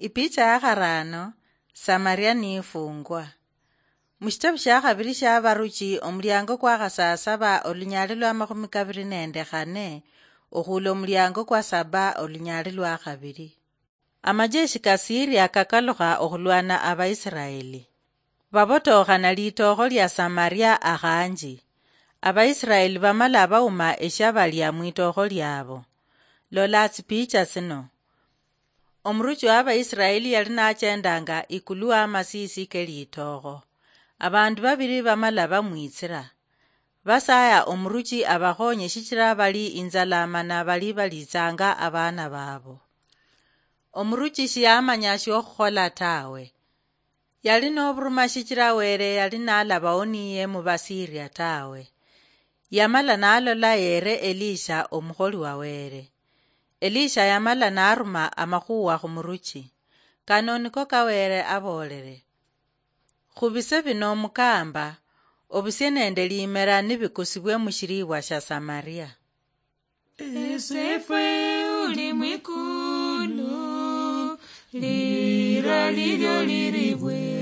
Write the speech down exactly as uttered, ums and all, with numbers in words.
Ipicha ya kharaano, Samaria niifungwa. Mushitabu shia khabiri shia Abaruchi, omuliango kwa khasaasaba, olunyaali lwa makhumi kabiri nende khane, okhuula omuliango kwa saba, olunyaali lwa khabiri. Amajeshi ka Siria kakalukha okhulwana Abaisiraeli. Babotookhana litookho lia Samaria akhanji. Abaisiraeli bamala bauma eshiabalia mwitookho liabo. Lola tsipicha tsino. Omuruchi wa Abaisiraeli yali nachendanga ikulu wa masisi ke litookho. Abandu babiri bamala bamwitsira. Basaya omuruchi abakhonye shichira bali inzala mana bali balitsanga abana babo. Omuruchi shiyamanya shiokhukhola tawe. Yali noburuma shichira Were yali nalabawo niye mu Basiria tawe. Yamala nalola yere Elisha omukholi wa Were. Elisha yamala naruma amakhuwa khumuruchi. Kano niko ka Were abolere. Khubise bino mukamba, obusie nende limera nibikusibwe mushiribwa shia Samaria. Esefwe uli mwikulu, lira lilyo liribwe.